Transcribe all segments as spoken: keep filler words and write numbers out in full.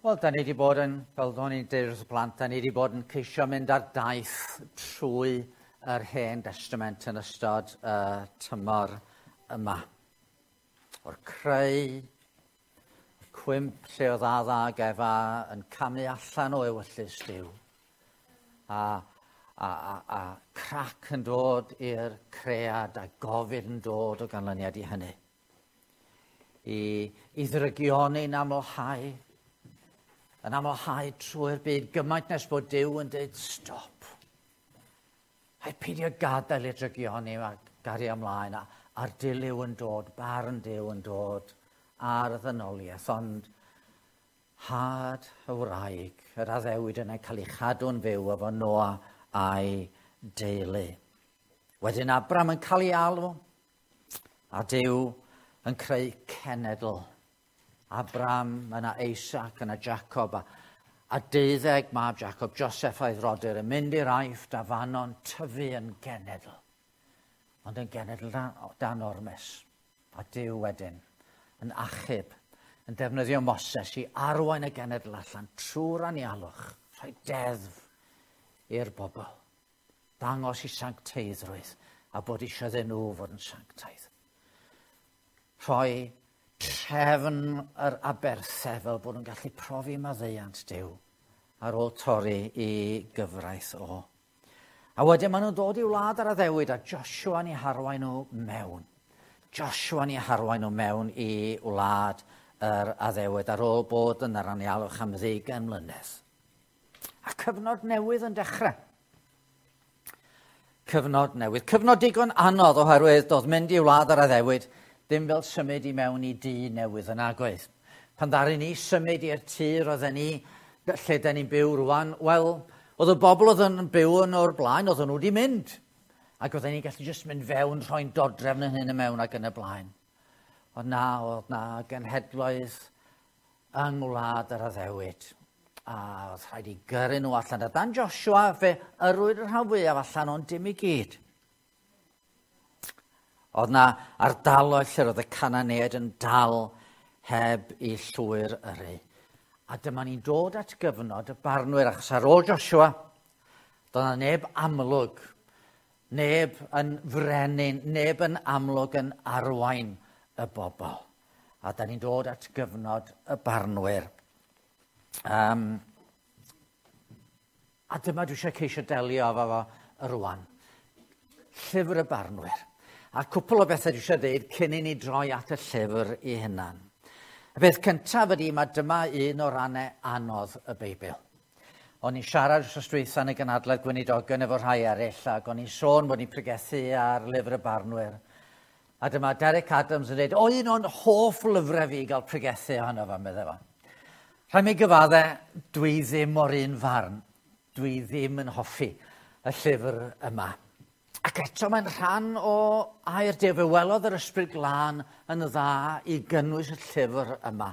Wel, da ni wedi bod yn, fel do'n i'n deud wrth y plant, da ni wedi bod yn ceisio mynd ar daith trwy yr Hen Destament yn ystod y uh, tymor yma. O'r creu, y cwymp lle oedd Adda ag Efa yn camu allan o ewyllys Duw. A, a, a, a crac yn dod i'r cread a gofid yn dod o ganlyniad i hynny. I, i ddrygioni'n amlhau, yn amlhau trwy'r byd gymaint nes bod Duw yn dweud stop. Rhaid peidio gadael i'r drygioni a gario ymlaen a, a'r dilyw yn dod, barn Duw yn dod ar y ddynoliaeth, ond had y wraig, yr addewid yna cael ei chadw'n fyw efo Noa a'i deulu. Wedyn Abram yn cael ei alw, a Duw yn creu cenedl. Abram, yna Isaac, yna Jacob, a, a deuddeg mab Jacob, Joseph a'i frodyr, yn mynd i'r Aifft a fanno'n tyfu yn genedl. Ond yn genedl dan, dan ormes. A Duw wedyn yn achub, yn defnyddio Moses i arwain y genedl allan trwy'r anialwch, rhoi deddf i'r bobl. Dangos i sancteiddrwydd a bod eisiau iddyn nhw fod yn sanctaidd. Rhoi trefn yr aberthau fel bod nhw'n gallu profi maddeuant Duw ar ôl torri i gyfraith o. A wedyn maen nhw'n dod i wlad ar addewid a Joshua yn eu harwain nhw mewn. Joshua yn eu harwain nhw mewn i wlad yr addewid ar ôl bod yn yr anialwch am ddeugain mlynedd. A cyfnod newydd yn dechrau. Cyfnod newydd. Cyfnod digon anodd oherwydd doedd mynd i wlad yr addewid ddim fel symud i mewn i dŷ newydd yn agoedd. Pan ddaru ni symud i'r tŷ roedden ni, lle da ni'n byw rwan, wel, oedd y bobl oedd yn byw yn o'r blaen, oedden nhw wedi mynd. Ac oedden ni'n gallu jyst mynd fewn, rhoi'n dodrefn yn hyn y mewn ac yn y blaen. Ond na, oedd na genhedloedd yng ngwlad yr addewid. A oedd rhaid i gyrru nhw allan. A dan Joshua, fe yrwyd y rhan fwyaf allan, ond dim i gyd. Oedd na ardaloedd lle roedd y Cananeaid yn dal heb i llwyr yrru. A dyma ni'n dod at gyfnod y barnwyr, achos ar ôl Joshua, doedd na neb amlwg, neb yn frenin, neb yn amlwg yn arwain y bobl. A da ni'n dod at gyfnod y barnwyr. Um, a dyma dwi eisiau ceisio delio efo fo rwan. Llyfr y barnwyr. A cwpl o bethau dwi eisiau dweud cyn i ni droi at y llyfr i hunan. Y peth cyntaf ydy, mae dyma un o rannau anodd y Beibl. O'n i'n siarad wrth dwytha yn y gynhadledd gweinidogion efo rhai eraill, ac o'n i'n sôn bod ni'n pregethu ar lyfr y barnwyr. A dyma Derek Adams yn dweud, o, un o'n hoff lyfrau fi i gael pregethu ohono fo, meddai fo. Rhaid mi gyfadde, dwi ddim o'r un farn. Dwi ddim yn hoffi y llyfr yma. Ac eto mae'n rhan o air Duw. Fe welodd yr Ysbryd Glân yn dda i gynnwys y llyfr yma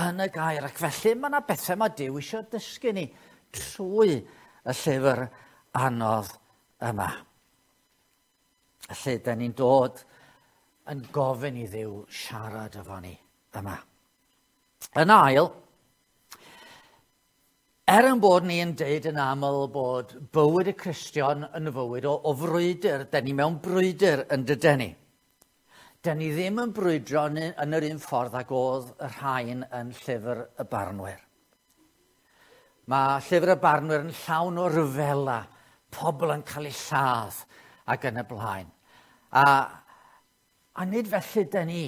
yn y gair. Ac felly mae yna bethau mae Duw eisiau dysgu ni trwy y llyfr anodd yma. Felly, da ni'n dod yn gofyn i Dduw siarad efo ni yma. Yn ail, er yn bod ni'n deud yn aml bod bywyd y Cristion yn fywyd o, o frwydr, da ni mewn brwydr yn dyden ni. Da ni ddim yn brwydro yn, yn yr un ffordd ag oedd y rhain yn llyfr y barnwyr. Mae llyfr y barnwyr yn llawn o ryfela, pobl yn cael eu lladd ac yn y blaen. A, a nid felly da ni.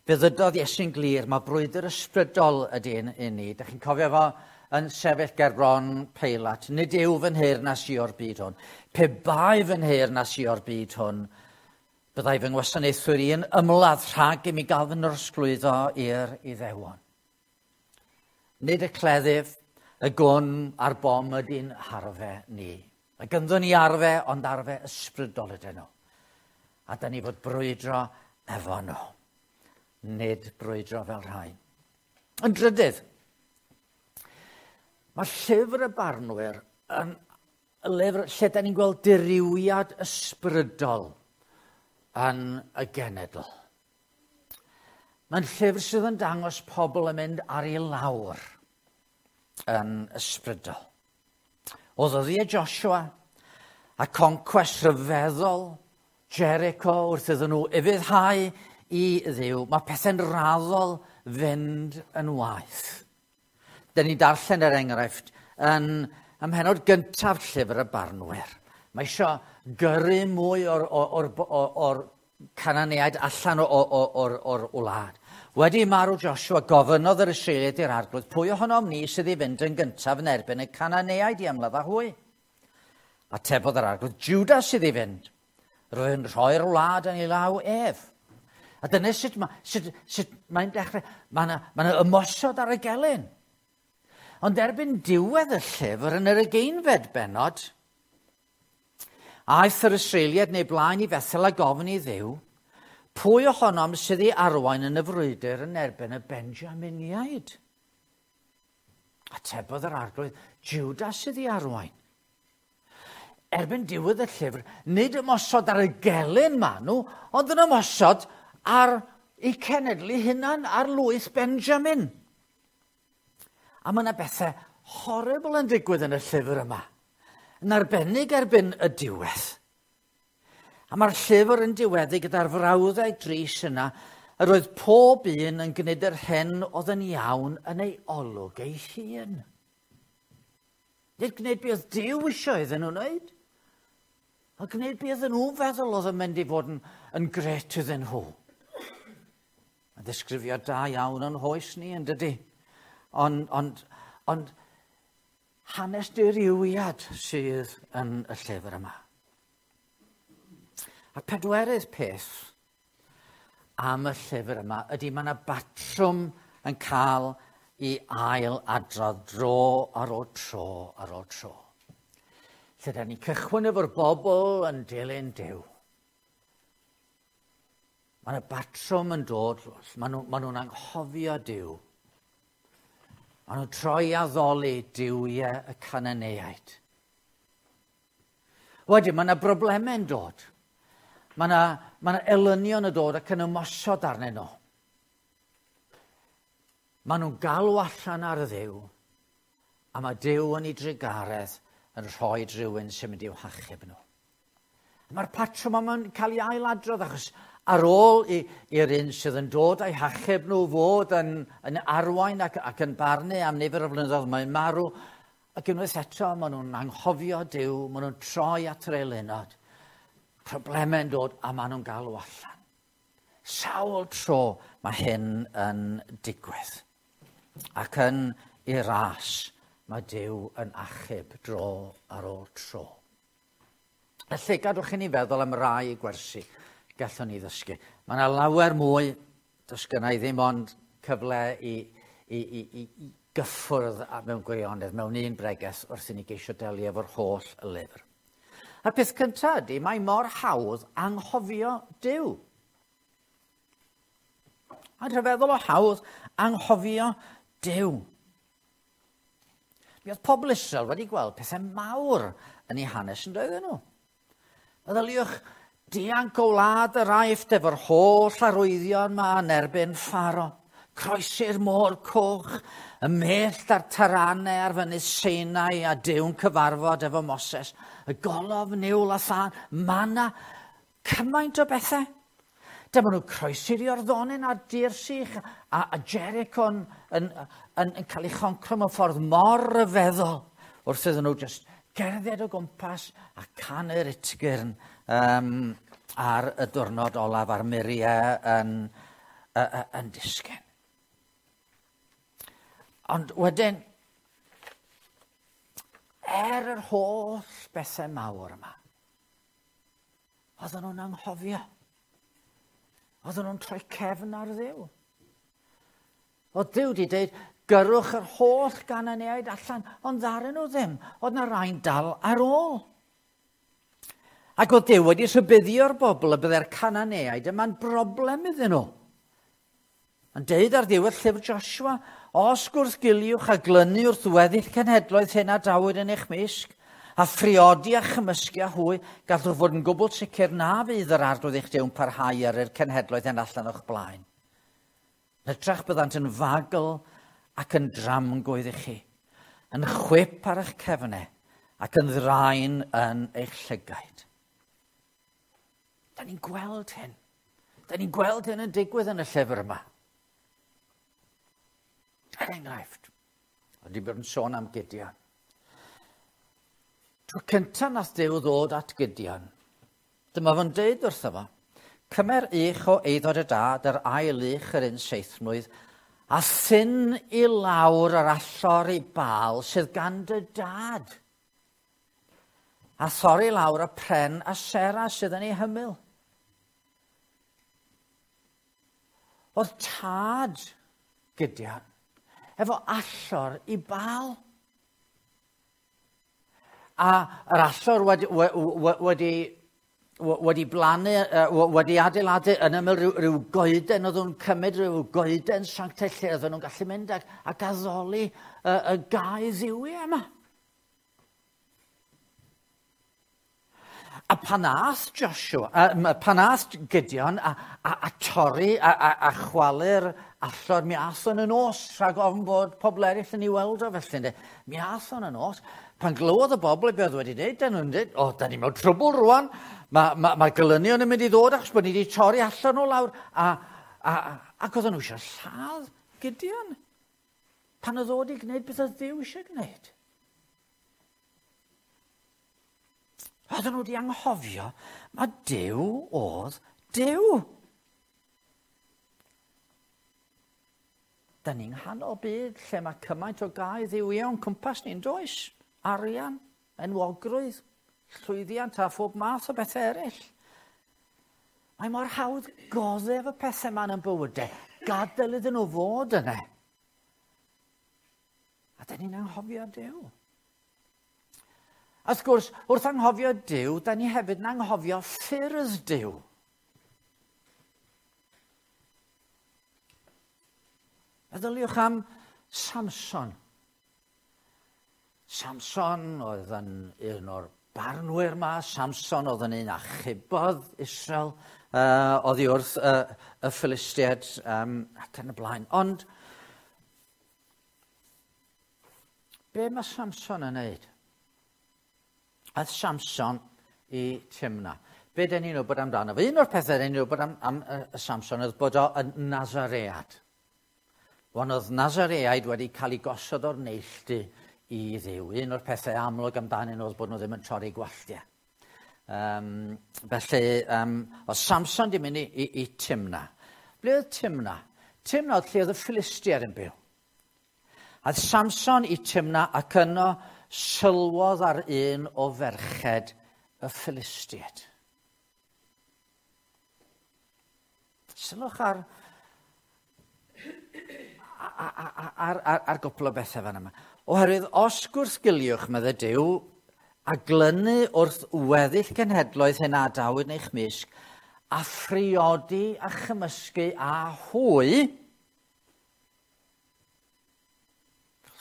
Fe ddydodd Iesu'n glir, mae brwydr ysbrydol ydy un i ni. Dach chi'n cofio fo yn sefyll ger bron Peilat. Nid yw fy nheyrnas i o'r byd hwn. Pe bai fy nheyrnas i o'r byd hwn, byddai fy ngwasanaethwyr i yn ymladd rhag i mi gael fy nrosglwyddo i'r Iddewon. Nid y cleddyf, y gwn a'r bom ydy'n harfe ni. Mae gynddon ni arfe, ond arfe ysbrydol ydyn nhw. A da ni fod brwydro efo nhw. Nid brwydro fel rhai. Yn drydydd, mae llyfr y barnwyr yn lyfr lle da ni'n gweld dirywiad ysbrydol yn y genedl. Mae'n llyfr sydd yn dangos pobl yn mynd ar ei lawr. yn ysbrydol. O ddyddiau Joshua a concwest rhyfeddol Jericho wrth iddyn nhw ufuddhau i Dduw, mae pethau'n raddol fynd yn waeth. Dyn ni'n darllen er enghraifft yn ym mhennod gyntaf llyfr y Barnwyr. Mae eisiau gyrru mwy o'r, or, or, or, or Cananeaid allan o'r, o'r wlad. Wedi marw Joshua, gofynnodd yr Israeliaid i'r Arglwydd, pwy ohonom ni sydd i fynd yn gyntaf yn erbyn y Cananeaid i ymladd â hwy? Atebodd yr Arglwydd, Juda sydd i fynd. Rwy'n rhoi'r wlad yn ei law ef. A dyna sut, ma, sut, sut mae'n dechrau. Mae yna ma ymosod ar y gelyn. Ond erbyn diwedd y llyfr yn yr ugeinfed bennod, aeth yr Israeliaid neu blaen i Fethel a gofyn i Dduw, pwy ohonom sydd i arwain yn y frwydr yn erbyn y Benjaminiaid? Atebodd yr Arglwydd, Juda sydd i arwain. Erbyn diwedd y llyfr, nid ymosod ar y gelyn ma nhw, ond yn ymosod ar eu cenedlu hunan, ar lwyth Benjamin. A mae yna bethau horrible yn digwydd yn y llyfr yma, yn arbennig erbyn y diwedd. A mae'r llyfr yn diweddu gyda'r frawddau dris yna, yr oedd pob un yn gwneud yr hyn oedd yn iawn yn ei olwg ei hun. Nid gwneud beth oedd Duw eisiau iddyn nhw wneud, ond gwneud beth oedden nhw'n feddwl oedd yn mynd i fod yn, yn gret iddyn nhw. Mae'n ddisgrifiad da iawn o'n hoes ni, yn dydy? Ond, ond, ond hanes dirywiad sydd yn y llyfr yma. A'r pedwerydd peth am y llyfr yma ydy mae yna batrwm yn cael ei ail adrodd dro ar ôl tro ar ôl tro. Lle da ni'n cychwyn efo'r bobl yn dilyn Duw. Mae yna batrwm yn dod, maen nhw, maen nhw'n anghofio Duw. Maen nhw'n troi addoli duwiau y Cananeaid. Wedyn, mae yna broblemau'n dod. Mae yna, mae yna elynion yn dod ac yn ymosod arnyn nhw. Maen nhw'n galw allan ar Dduw, a mae Duw yn ei drugaredd yn rhoi rhywun sy'n mynd i'w hachub nhw. Mae'r patrwm yma'n cael ei ailadrodd achos ar ôl i'r un sydd yn dod a'i hachub nhw fod yn, yn arwain ac, ac yn barnu am nifer o flynyddoedd, mae'n marw, ac unwaith eto maen nhw'n anghofio Duw, maen nhw'n troi at yr eilunod. Problemau'n dod a maen nhw'n galw allan. Sawl tro mae hyn yn digwydd. Ac yn ei ras mae Duw yn achub dro ar ôl tro. Felly, gadwch i ni feddwl am rai gwersi gallwn ni ddysgu. Mae yna lawer mwy, does gynna i ddim ond cyfle i, i, i, i, i gyffwrdd mewn gwirionedd, mewn un bregeth wrth i ni geisio delio efo'r holl lyfr. A'r peth cyntaf ydy, mae mor hawdd anghofio Duw. Mae'n rhyfeddol o hawdd anghofio Duw. Mi oedd pobl Israel wedi gweld pethau mawr yn eu hanes yn doedden nhw. Meddyliwch, dianc o wlad yr Aifft efo'r holl arwyddion ma yn erbyn Pharaoh. Croesi'r môr coch, y mellt a'r taranau ar fynydd Sinai a Duw'n cyfarfod efo Moses, y golofn niwl a thân, manna, cymaint o bethau. Dyma nhw'n croesi'r Iorddonen ar dir sych a, a Jericho yn, yn, yn, yn cael ei choncro mewn ffordd mor ryfeddol wrth iddyn nhw just gerdded o gwmpas a canu'r utgyrn um, ar y diwrnod olaf a'r muriau yn, yn, yn disgyn. Ond wedyn, er yr holl bethau mawr yma, oedden nhw'n anghofio. Oedden nhw'n troi cefn ar Dduw. Oedd Duw wedi dweud, gyrrwch yr holl Gananeaid allan, ond ddaru nhw ddim. Oedd na rai'n dal ar ôl. Ac oedd Duw wedi rhybuddio'r bobl y byddai'r Cananeaid yma'n broblem iddyn nhw. Yn deud ar ddiwedd llyfr Joshua, os gwrthgiliwch a glynu wrth weddill cenhedloedd hyn a dawyd yn eich mysg, a phriodi a chymysgu â hwy, gallwch fod yn gwbl sicr na fydd yr Arglwydd eich Duw'n parhau ar yr cenhedloedd hyn allan o'ch blaen. Yn hytrach byddant yn fagl ac yn dramgwydd i chi. yn chwip ar eich cefnau ac yn ddraen yn eich llygaid. Da ni'n gweld hyn. Da ni'n gweld hyn yn digwydd yn y llyfr yma. Er enghraifft, wedi bod yn sôn am Gideon. Tro cyntaf nath Duw ddod at Gideon, dyma fo'n deud wrtho fo, cymer ych o eiddo dy dad, yr ail ych yr un seithmlwydd, a thyn i lawr yr allor i Baal sydd gan dy dad. A thorri lawr y pren a sera sydd yn ei hymyl. Oedd tad Gideon efo allor i Baal. A yr allor wedi, wedi, wedi blannu, wedi adeiladu yn ymyl rhyw, rhyw goeden, oedd nhw'n cymryd rhyw goeden sanctaidd lle oedden nhw'n gallu mynd ac, ac addoli y, y gau ddiwiau yma. A pan ath Joshua, a, pan ath Gideon a, a, a torri a, a, a chwalu'r allor, mi ath o'n y nos, rhag ofn bod pobl eraill yn ei weld o felly. Ynde. Mi ath o'n y nos. Pan glywodd y bobl beth oedd wedi dweud, dyn nhw'n dweud, o, da ni mewn trwbl rwan, mae ma, ma gelynion yn mynd i ddod achos bod ni wedi torri allan o lawr. A, a, ac oedden nhw eisiau lladd Gideon. Pan oedd o wedi gwneud beth oedd Duw eisiau gwneud. Oedden nhw wedi anghofio, mae Duw oedd Duw. Da ni'n nghanol byd lle mae cymaint o gau dduwiau o'n cwmpas ni'n does? Arian, enwogrwydd, llwyddiant a phob math o bethau eraill. Mae mor hawdd goddef y pethau yma yn ein bywydau. Gadael iddyn nhw fod yna. A da ni'n anghofio Duw. A wrth gwrs, wrth anghofio Duw, da ni hefyd yn anghofio ffyrdd Duw. Meddyliwch am Samson. Samson oedd yn un o'r barnwyr yma. Samson oedd yn un achubodd Israel uh, oddi wrth uh, y Philistiaid um, ac yn y blaen. Ond be mae Samson yn neud? Aeth Samson i Timna. Be dyn ni'n wybod amdano? Un o'r pethau dyn ni'n wybod am, am uh, Samson oedd bod o yn Nazaread. Wan oedd Nazareaid wedi cael ei gosod o'r neilltu i Dduw. Un o'r pethau amlwg amdanyn nhw oedd bod nhw ddim yn torri gwalltiau. Um, felly, um, oedd Samson di mynd i, i, i Timna. Ble oedd Timna? Timna oedd lle oedd y Philistiaid yn byw. Aeth Samson i Timna ac yno sylwodd ar un o ferched y Philistiaid. Sylwch ar, ar, ar, ar, ar gwpl o bethau fan yma. Oherwydd, os gwrthgiliwch, meddai Duw, a glynu wrth weddill cenhedloedd hyn a adawyd yn eich mysg, a phriodi a chymysgu a hwy,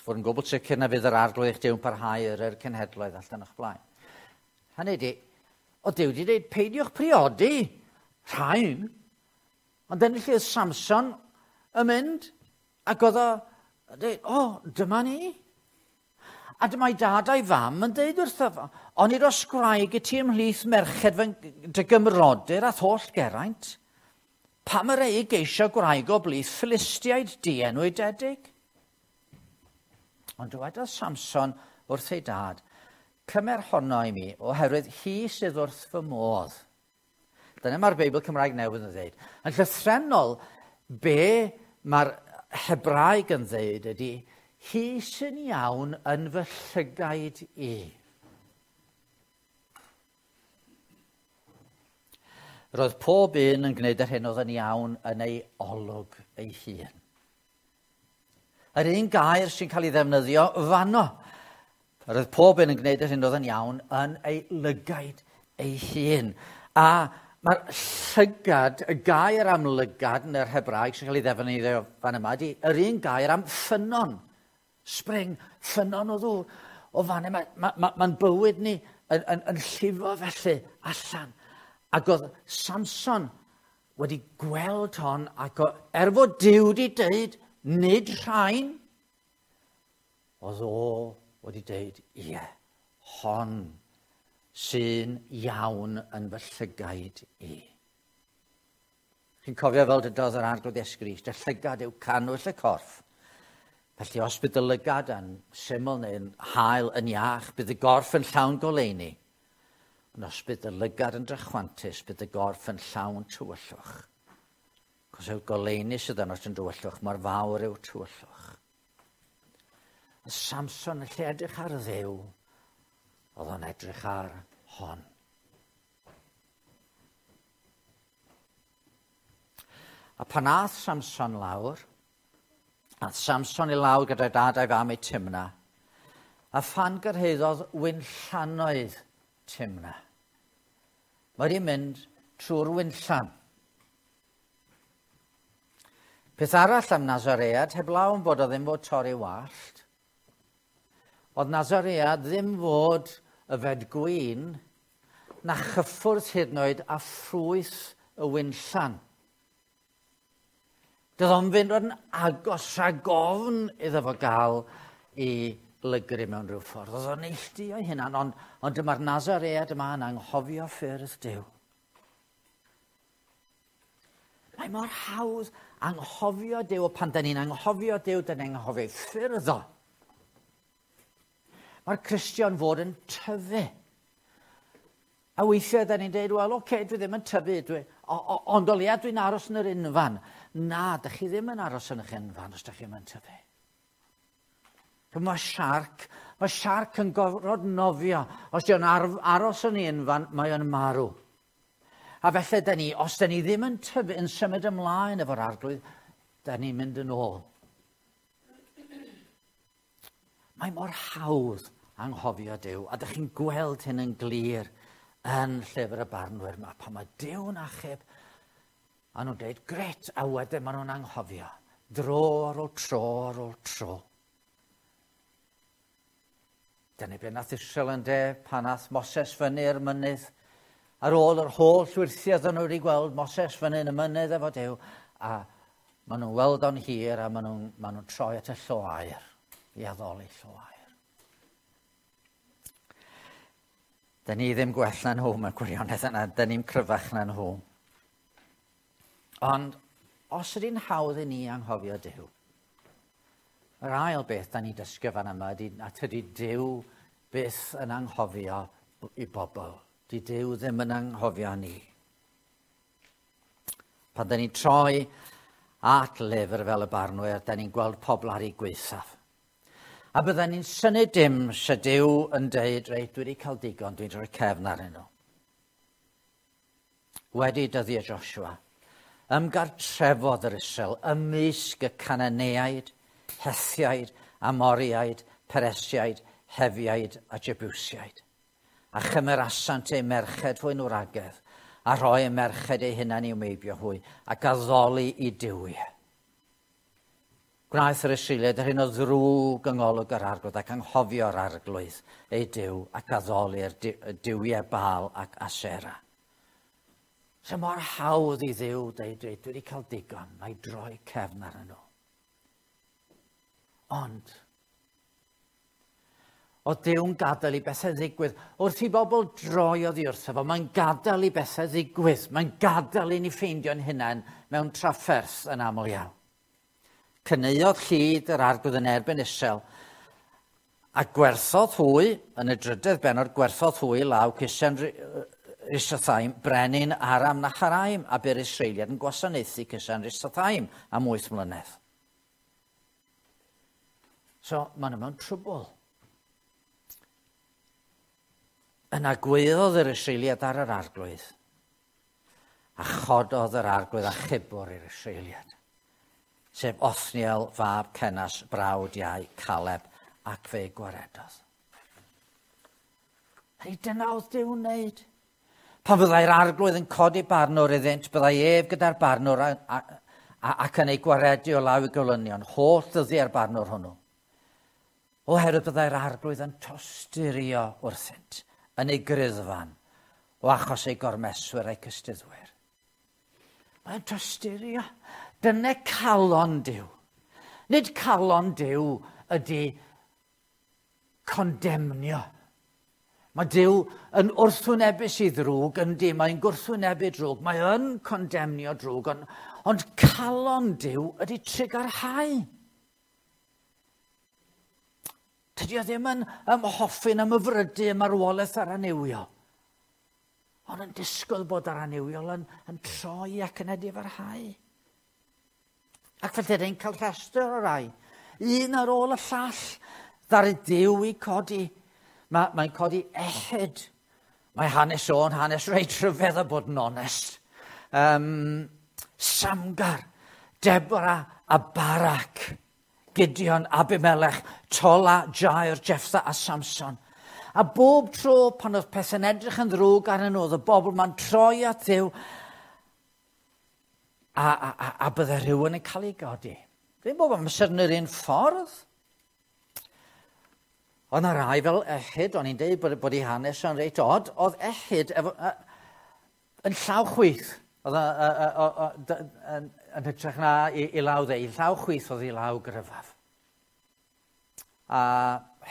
fod yn gwbl sicr na fydd yr arglwydd eich Duw yn parhau yr yr cenhedloedd allan o'ch blaen. Hynny ydi, o Duw wedi dweud, peidiwch priodi rhain, ond dyna lle oedd Samson yn mynd, ac oedd o dweud, o, dyma ni. A dyma'i dad a'i fam yn dweud wrtho fo, onid oes gwraig i ti ymhlith merched fy dy gymrodyr a holl geraint? Pam yr ei geisio gwraig o blith Philistiaid dienwydedig? Ond dywedodd Samson wrth ei dad, cymer honno i mi, oherwydd hi sydd wrth fy modd. Dyna mae'r Beibl Cymraeg Newydd yn dweud. Yn llythrennol, be mae'r Hebraeg yn dweud ydy, hi sy'n iawn yn fy llygaid i. Roedd pob un yn gwneud yr hyn oedd yn iawn yn ei olwg ei hun. Yr un gair sy'n cael ei ddefnyddio fanno. Roedd pob un yn gwneud yr hyn oedd yn iawn yn ei lygaid ei hun. A mae'r llygad, y gair am lygad yn yr Hebraeg sy'n cael ei ddefnyddio fan yma, ydy yr un gair am ffynnon, spring, ffynnon o ddŵr. O fan yma, mae'n ma, ma, ma bywyd ni yn, yn, yn llifo felly allan. Ac oedd Samson wedi gweld hon, ac o, er fod Duw wedi dweud, nid rhain, oedd o wedi deud, ie, hon sy'n iawn yn fy llygaid i. Chi'n cofio fel dydodd yr Arglwydd Iesu Grist, y llygad yw cannwyll y corff. Felly os bydd y lygad yn syml neu'n hael yn iach, bydd y gorff yn llawn goleuni. Ond os bydd y lygad yn drachwantus, bydd y gorff yn llawn tywyllwch. Cos yw'r goleuni sydd yno yn dywyllwch, mor fawr yw'r tywyllwch. A Samson yn lle edrych ar Dduw, oedd o'n edrych ar hon. A pan ath Samson lawr, ath Samson i lawr gyda'i dad a'i fam i Timna, a phan gyrhaeddodd winllanoedd Timna. Mae wedi mynd trwy'r winllan. Peth arall am Nazaread, heblaw yn bod o ddim fod torri wallt, oedd Nazaread ddim fod yfed gwin na chyffwrdd hyd yn oed a ffrwyth y winllan. Doedd o'n fynd yn agos rhag ofn iddo fo gael i lygru mewn rhyw ffordd. Oedd o'n neilltuo ei hunan, ond, ond dyma'r Nazaread yma yn anghofio ffyrdd Duw. Mae mor hawdd anghofio Duw, pan da ni'n anghofio Duw, da ni'n anghofio ei ffyrdd o. Mae'r Cristion fod yn tyfu. A weithiau da ni'n dweud, wel, oce, okay, dwi ddim yn tyfu, dwi, o, o, ond o leia dwi'n aros yn yr unfan. Na, da chi ddim yn aros yn eich unfan os da chi ddim yn tyfu. Mae siarc, mae siarc yn gorfod nofio. Os di o'n aros yn ei unfan, mae o'n marw. A felly da ni, os da ni ddim yn tyfu, yn symud ymlaen efo'r Arglwydd, da ni'n mynd yn ôl. Mae mor hawdd anghofio Duw, a da chi'n gweld hyn yn glir yn llyfr y barnwyr yma. Pan mae Duw'n achub, a nhw'n dweud, gret, a wedyn maen nhw'n anghofio. Dro ar ôl tro ar ôl tro. Dyna be nath Israel yn de, pan nath Moses fyny'r mynydd. Ar ôl yr holl wyrthiau nhw wedi gweld Moses fyny yn y mynydd efo Duw, a maen nhw'n weld o'n hir a maen nhw'n maen nhw troi at y llo aur, i addoli llo aur. Da ni ddim gwell na nhw mewn gwirionedd yna, da ni'n cryfach na nhw. Ond os ydy'n hawdd i ni anghofio Duw, yr ail beth da ni'n dysgu fan yma ydy na tydi Duw byth yn anghofio i bobl. Di Duw ddim yn anghofio ni. Pan da ni'n troi at lyfr fel y barnwyr, da ni'n gweld pobl ar ei gwaethaf. A bydden ni'n synnu dim se Duw yn deud, reit, dwi wedi cael digon, dwi'n rhoi cefn arnyn nhw. Wedi dyddiau Joshua, ymgartrefodd yr Israel ymysg y Cananeaid, Hethiaid, Amoriaid, Peresiaid, Hefiaid a Jebusiaid. A chymerasant eu merched hwy'n wragedd, a rhoi eu merched eu hunain i'w meibio hwy, ac addoli i duwiau. Gwnaeth yr Israeliaid yr hyn o ddrwg yng ngolwg yr Arglwydd ac anghofio'r Arglwydd ei Duw ac addoli'r duwiau Baal ac Asera. So mor hawdd i Dduw dweud, dwi wedi cael digon, mae droi cefn arnyn nhw. Ond, oedd Duw'n gadael i bethau ddigwydd. Wrth i bobl droi oddi wrtho fo, mae'n gadael i bethau ddigwydd. Mae'n gadael i ni ffeindio'n hunain mewn trafferth yn aml iawn. Cyneuodd llid yr Arglwydd yn erbyn Israel, a gwerthodd hwy, yn y drydedd bennod, gwerthodd hwy law Cusan Risathaim, brenin Aram Naharaim, a bu'r Israeliad yn gwasanaethu Cusan Risathaim am wyth mlynedd. So, maen nhw mewn trwbl. Yna gwaeddodd yr Israeliad ar yr Arglwydd, a chododd yr Arglwydd achubwr i'r Israeliad, sef Othniel fab Cenas, brawd iau Caleb, ac fe gwaredodd. Hei, dyna oedd Duw'n wneud. Pan fyddai'r Arglwydd yn codi barnwr iddynt, byddai ef gyda'r barnwr a, a, a, ac yn ei gwaredu o law i gelynion, holl ddyddiau'r barnwr hwnnw. Oherwydd byddai'r Arglwydd yn tosturio wrthynt, yn ei griddfan, o achos ei gormeswyr a'i cystuddwyr. Mae'n tosturio. Dyna calon Duw. Nid calon Duw ydy condemnio. Mae Duw yn wrthwynebus i ddrwg, yndi, mae'n gwrthwynebu drwg, mae yn condemnio drwg, ond, ond calon Duw ydy trugarhau. Tydi o ddim yn ymhoffi'n ymhyfrydu ym marwolaeth yr annuwiol, ond yn disgwyl bod yr annuwiol yn, yn troi ac yn edifarhau. Ac felly dyn ni'n cael rhestr o rai, un ar ôl y llall, ddaru Duw i codi. Mae, mae'n codi Ehud. Mae hanes o'n hanes reit rhyfedd a bod yn onest. Um, Samgar, Deborah a Barak, Gideon, Abimelech, Tola, Jair, Jefftha a Samson. A bob tro pan oedd pethau'n edrych yn ddrwg arnyn nhw, oedd y bobl ma'n troi at Dduw a, a, a, a bydde rhywun yn cael ei godi. Ddim bob amser yn yr un ffordd. Oedd yna rai fel Ehud, o'n i'n dweud bod, bod ei hanes yn reit od, oedd Ehud efo, uh, yn llaw chwith, oedd yn, yn hytrach na i, i law dde, i llaw chwith oedd i law gryfaf. A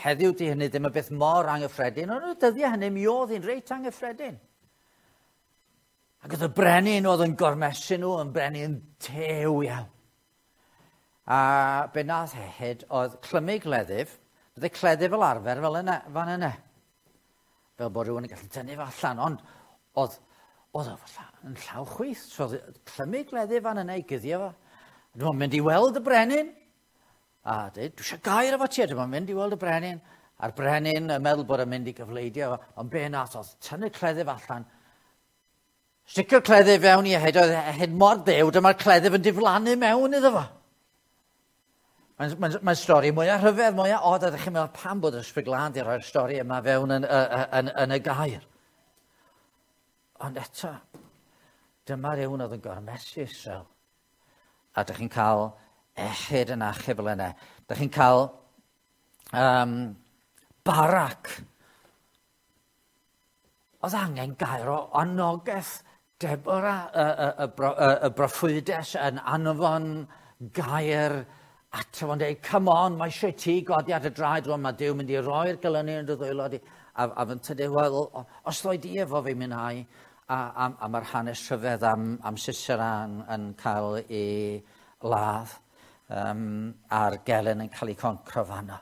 heddiw di hynny ddim yn beth mor anghyffredin, ond y dyddiau hynny mi oedd hi'n reit anghyffredin. Ac oedd y brenin oedd yn gormesu nhw, yn brenin tew iawn. A be nath Ehud oedd clymu gleddyf, bydde cleddyf fel arfer fel yna, fan yna. Fel bod rhywun yn gallu tynnu fo allan, ond oedd, oedd o yn llaw chwith. So oedd clymu gleddyf fan yna i guddio fo. Dwi'n mynd i weld y brenin. A dweud, dwi eisiau gair efo ti, dwi'n mynd i weld y brenin. A'r brenin yn meddwl bod yn mynd i gyfleidio fo, ond be nath oedd tynnu cleddyf allan. Sticio'r cleddyf fewn i Ehud, oedd Ehud mor dew, dyma'r cleddyf yn diflannu mewn iddo fo. Mae'n mae, mae stori mwyaf rhyfedd, mwyaf od, a ydych chi'n meddwl pam bod yr Ysbryd Glân di roi'r stori yma fewn yn, yn, yn, yn y gair. Ond eto, dyma rhywun oedd yn gormesu Israel. A ydych chi'n cael Ehud yn achub fel yna. Ydych chi'n cael um, Barak. Oedd angen gair o anogaeth Deborah, y, y, y, y, y broffwydes yn anfon gair ato fo'n dweud, come on, mae eisiau ti godi ar dy draed rwan, mae Duw mynd i roi'r gelynu yn dy ddwylo di. A, a fy'n tydu, wel, os ddoi di efo fi mynd a, a, a mae'r hanes rhyfedd am, am Sisera yn, yn cael ei ladd, um, a'r gelyn yn cael ei concro fanno.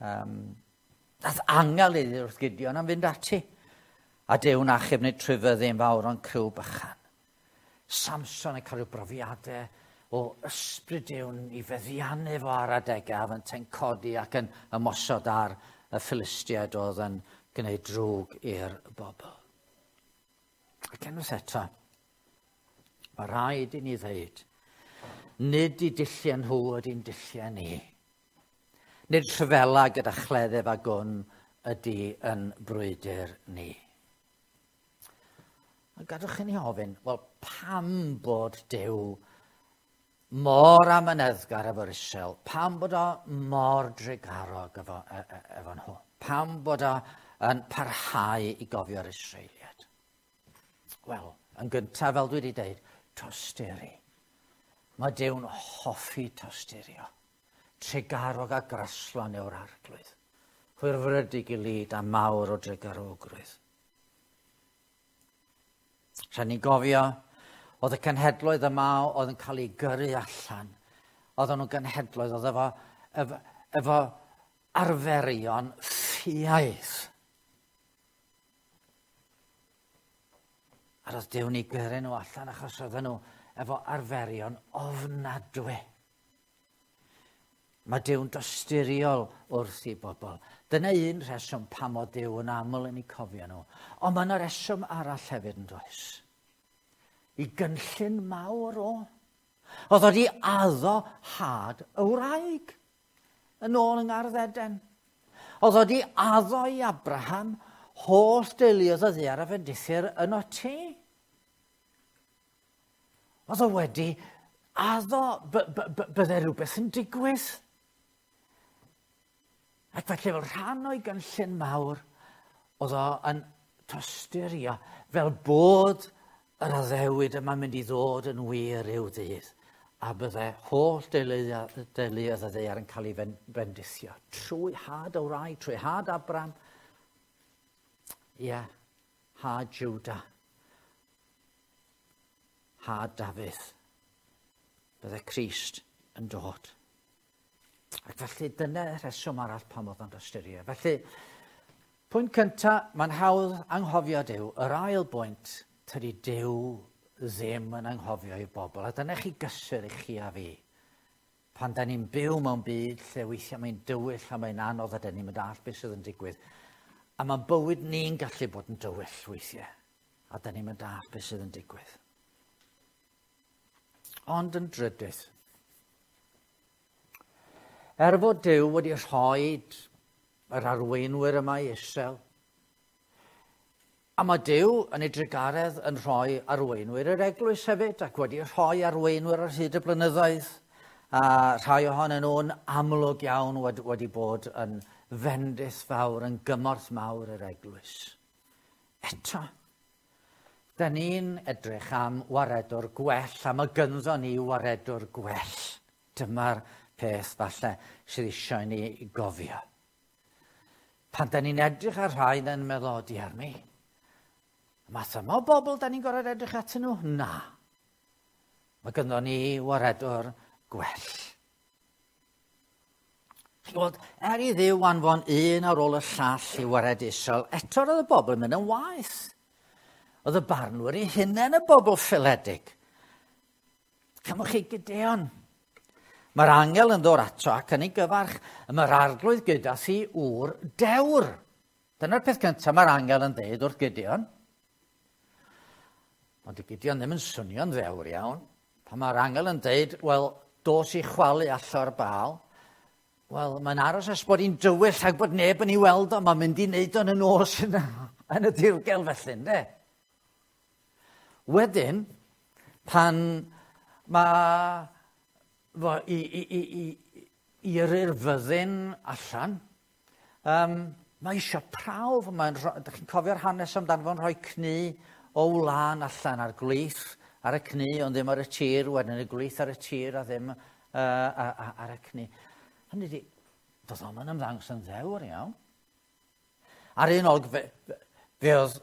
Um, nath angel iddi wrth Gideon am fynd ati. A Duw'n achub nid trwy fyddin fawr ond criw bychan. Samson yn cael rhyw brofiadau o ysbryd Duw'n i feddiannu fo ar adegau, a fyntau'n codi ac yn ymosod ar y Philistiaid oedd yn gwneud drwg i'r bobl. Ac unwaith eto, mae rhaid i ni ddweud, nid i dulliau nhw ydy'n dulliau ni. Nid rhyfela gyda chleddyf a gwn ydy yn brwydr ni. A gadwch i ni ofyn, wel, pam bod Duw mor amyneddgar efo'r Israel? Pam bod o mor drugarog efo, e, e, efo nhw? Pam bod o yn parhau i gofio'r Israeliaid? Wel, yn gyntaf, fel dwi wedi dweud, tosturi. Mae Duw'n hoffi tosturio. Trugarog a graslon yw'r arglwydd. Hwyrfrydig i lid a mawr o drugarogrwydd. Rhaid ni gofio, oedd y cenhedloedd yma oedd yn cael eu gyrru allan. Oedden nhw'n genhedloedd oedd efo, efo, efo arferion ffiaidd. A roedd Duw'n eu gyrru nhw allan achos oedden nhw efo arferion ofnadwy. Mae Duw'n dosturiol wrth i bobl. Dyna un rheswm pam o Duw yn aml yn eu cofio nhw. Ond mae yna reswm arall hefyd yn does. I gynllun mawr o. Oedd wedi addo had y wraig yn ôl yng Ngardd Eden. Oedd wedi addo i Abraham holl deuluoedd y ddaear a fendithir yno ti. Oedd o wedi addo bydde rhywbeth yn digwydd. Ac felly fel rhan o'i gynllun mawr, oedd o yn tosturio fel bod yr addewid yma'n mynd i ddod yn wir i'w ddydd. A bydde holl deuluoedd y ddaear yn cael ei bendithio. Trwy had y wraig, trwy had Abraham. Ie, yeah, had Juda. Had Dafydd. Bydde Crist yn dod. Ac felly dyna rheswm arall pam oedd o'n ystyried. Felly, pwynt cyntaf, mae'n hawdd anghofio Duw. Yr ail bwynt, tydi Duw ddim yn anghofio ei bobl. A dyna chi gysur i chi a fi. Pan da ni'n byw mewn byd lle weithiau mae'n dywyll a mae'n anodd a da ni'n mynd all beth sydd yn digwydd. A mae bywyd ni'n gallu bod yn dywyll weithiau. A da ni'n mynd all beth sydd yn digwydd. Ond yn drydydd, er fod Duw wedi rhoi yr arweinwyr yma i Israel, a mae Duw yn ei drugaredd yn rhoi arweinwyr yr eglwys hefyd, ac wedi rhoi arweinwyr ar hyd y blynyddoedd, a rhai ohonyn nhw'n amlwg iawn wedi, wedi bod yn fendith fawr, yn gymorth mawr yr eglwys. Eto, da ni'n edrych am waredwr gwell, a mae gynddo ni waredwr gwell. Dyma'r peth falle sydd eisiau ni gofio. Pan da ni'n edrych ar rhai, yn meddwl, o diar mi, math yma o bobl da ni'n gorfod edrych atyn nhw? Na. Mae gynno ni waredwr gwell. Chi'n gweld, er i Dduw anfon un ar ôl y llall i waredu Israel, eto roedd y bobl yn mynd yn waeth. Oedd y barnwyr eu hunain y bobl ffaeledig. Cymwch chi Gideon. Mae'r angel yn dod ato ac yn ei gyfarch, mae'r arglwydd gyda thi ŵr dewr. Dyna'r peth cyntaf mae'r angel yn dweud wrth Gideon. Ond y Gideon ddim yn swnio'n ddewr iawn. Pan mae'r angel yn dweud, wel, dos i chwalu allor Baal, wel, mae'n aros ers bod hi'n dywyll ac bod neb yn ei weld o, mae'n mynd i wneud o'n y nos yn, yn y dirgel felly, ynddo? Wedyn, pan mae fo i, i, i, i, i yrru'r fyddin allan, um, mae eisiau prawf. Mae'n, dych chi'n cofio'r hanes amdano fo'n rhoi cnu o wlân allan ar gwlith, ar y cnu, ond ddim ar y tir, wedyn y gwlith ar y tir a ddim uh, ar y cnu. Hynny ydi, doedd o'm yn ymddangos yn ddewr iawn. Ar un olwg, fe, fe oedd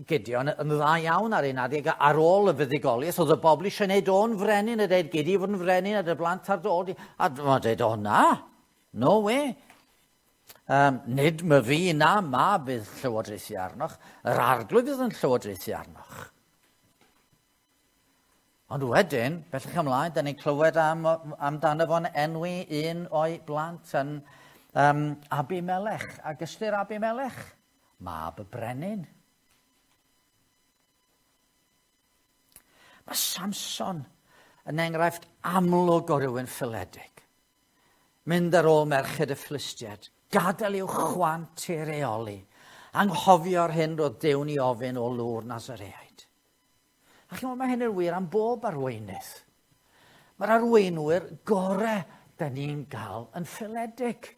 Gideon yn dda iawn ar un adeg, ar ôl y fuddugoliaeth, oedd y bobl eisiau gwneud o'n frenin, a dweud, gei di fod yn frenin, a dy blant ar dod. A mae'n dweud, o na, no way. Um, nid my fi na ma bydd llywodraethu arnoch, yr arglwydd fydd yn llywodraethu arnoch. Ond wedyn, bellach ymlaen, da ni'n clywed am, amdano fo'n enwi un o'i blant yn um, Abimelech. Ac ystyr Abimelech, mab y brenin. Mae Samson yn enghraifft amlwg o rywun ffaeledig. Mynd ar ôl merched y Philistiaid, gadael i'w chwant i reoli, anghofio'r hyn roedd Duw'n ei ofyn o lw'r Nazareaid. A chi'n meddwl, mae hyn yn wir am bob arweinydd. Mae'r arweinwyr gorau da ni'n gael yn ffaeledig,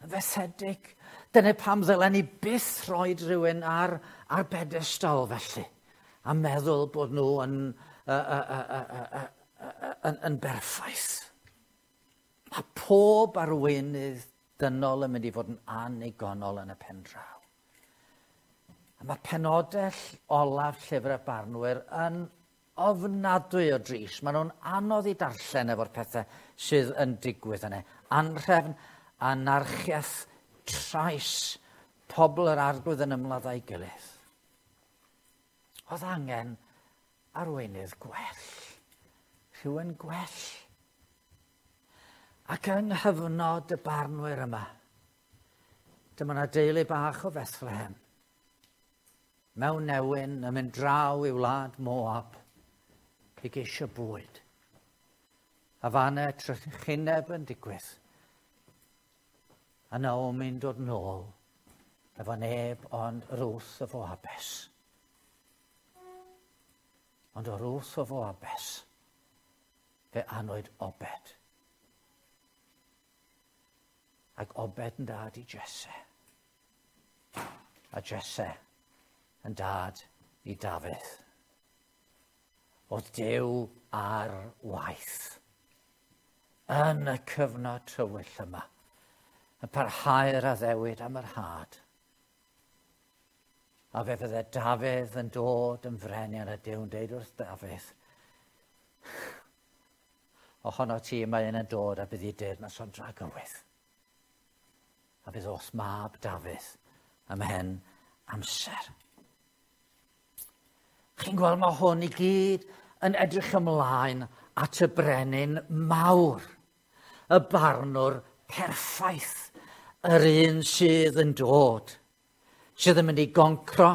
yn fethedig. Dyna pam ddylen ni byth rhoi rhywun ar, ar bedestol felly, a meddwl bod nhw yn, uh, uh, uh, uh, uh, uh, yn, yn berffaith. Mae pob arweinydd dynol yn mynd i fod yn annigonol yn y pen draw. A mae penodell olaf Llyfr y Barnwyr yn ofnadwy o dris. Maen nhw'n anodd i darllen efo'r pethau sydd yn digwydd yna. Anrhefn, anarchiaeth, trais, pobl yr arglwydd yn ymladd â'i gilydd. Oedd angen arweinydd gwell, rhywun gwell. Ac yng nghyfnod y barnwyr yma, dyma 'na deulu bach o Bethlehem, mewn newyn yn mynd draw i wlad Moab i geisio bwyd. A fan'na trychineb yn digwydd. A Naomi'n dod nôl efo neb ond Ruth y Foabes. Ond o Ruth o Foabes, fe anwyd Obed. Ac Obed yn dad i Jesse. A Jesse yn dad i Dafydd. Oedd Duw ar waith yn y cyfnod tywyll yma, yn parhau'r addewid am yr had. A fe fydde Dafydd yn dod yn frenin a Duw'n deud wrth Dafydd, ohono ti mae un yn dod a bydd i deyrnas o'n dragywydd. A bydd o's mab Dafydd ymhen amser. Chi'n gweld mae hwn i gyd yn edrych ymlaen at y brenin mawr, y barnwr perffaith, yr un sydd yn dod, sydd yn mynd i goncro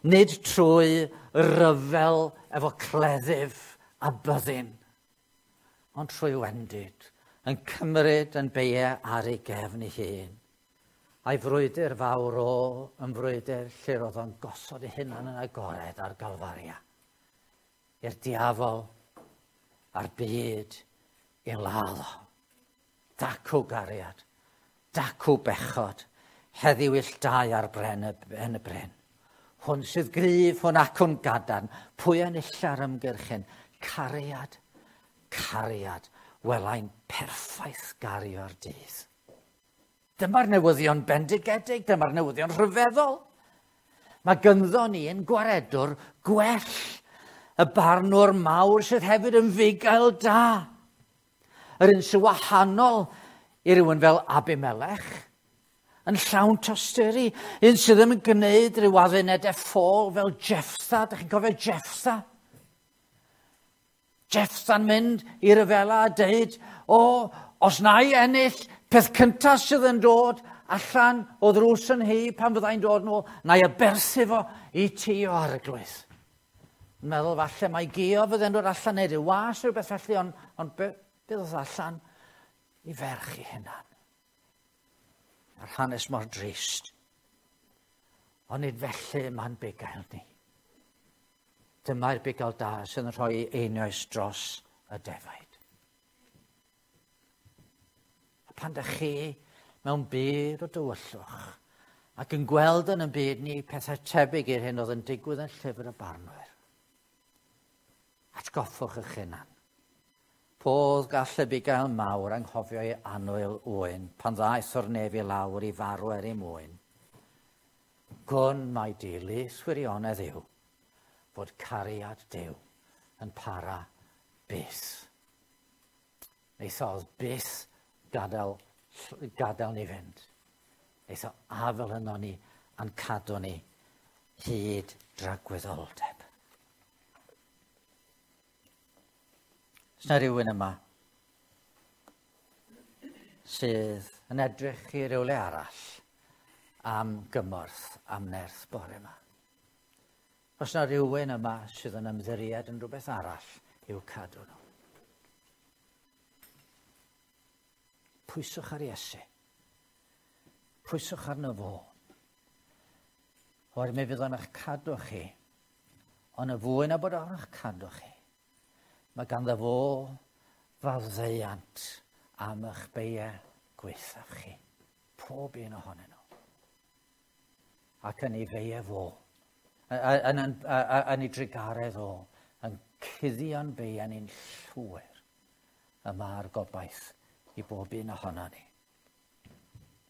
nid trwy ryfel efo cleddyf a byddin, ond trwy wendid, yn cymryd yn beiau ar ei gefn ei hun. A'i frwydr fawr o yn frwydr lle roedd o'n gosod ei hunan yn agored ar Galfaria. I'r diafol a'r byd i ladd o. Dacw gariad, dacw bechod, heddiw ill dau ar bren y, ben y bryn. Hwn sydd gryf, hwn acwn gadarn, pwy enilla'r ymgyrchyn? Cariad, cariad, welai'n perffaith gario'r dydd. Dyma'r newyddion bendigedig, dyma'r newyddion rhyfeddol. Mae gynddo ni yn gwaredwr gwell, y barnwr mawr sydd hefyd yn fugail da. Yr un sy'n wahanol i rywun fel Abimelech, yn llawn tosturi, un sydd ddim yn gwneud rhyw addunedau ffôl fel Jefftha. Dych chi'n cofio Jefftha? Jefftha'n mynd i ryfela a deud, o, os na i ennill, peth cyntaf sydd yn dod allan o ddrws yn hi pan fyddai'n dod nôl, na i aberthu fo i ti o arglwydd. Yn meddwl falle mai Gio fydde'n dod allan neu ryw was neu rhywbeth felly, ond on be, be ddod allan i ferch i hunan. Mae'r hanes mor drist. Ond nid felly mae'n bugail ni. Dyma'r bugail da sydd yn rhoi einioes dros y defaid. A pan dych chi mewn byd o dywyllwch ac yn gweld yn y byd ni pethau tebyg i'r hyn oedd yn digwydd yn llyfr y barnwyr, atgoffwch eich hunan. Podd gall y bugail mawr anghofio ei annwyl ŵyn pan ddaeth o'r nef i lawr i farw er ei mwyn. Gwn mai dilys wirionedd yw fod cariad Duw yn para byth. Neith o byth gadael, gadael ni fynd. Neith o afel yno ni a'n cadw ni hyd dragwyddoldeb. Oes 'na rywun yma sydd yn edrych i rywle arall am gymorth, am nerth bore yma? Oes 'na rywun yma sydd yn ymddiried yn rhywbeth arall i'w cadw nhw? Pwyswch ar Iesu. Pwyswch arno fo. Oherwydd mi fydd o'n eich cadw chi, ond y fwy na bod o'n eich cadw chi, mae ganddo fo faddeuant am eich beiau gwaethaf chi, pob un ohonyn nhw. Ac yn ei feiau fo, yn, yn, yn ei drugaredd o, yn cuddio'n beiau ni'n llwyr, y mae'r gobaith i bob un ohono ni.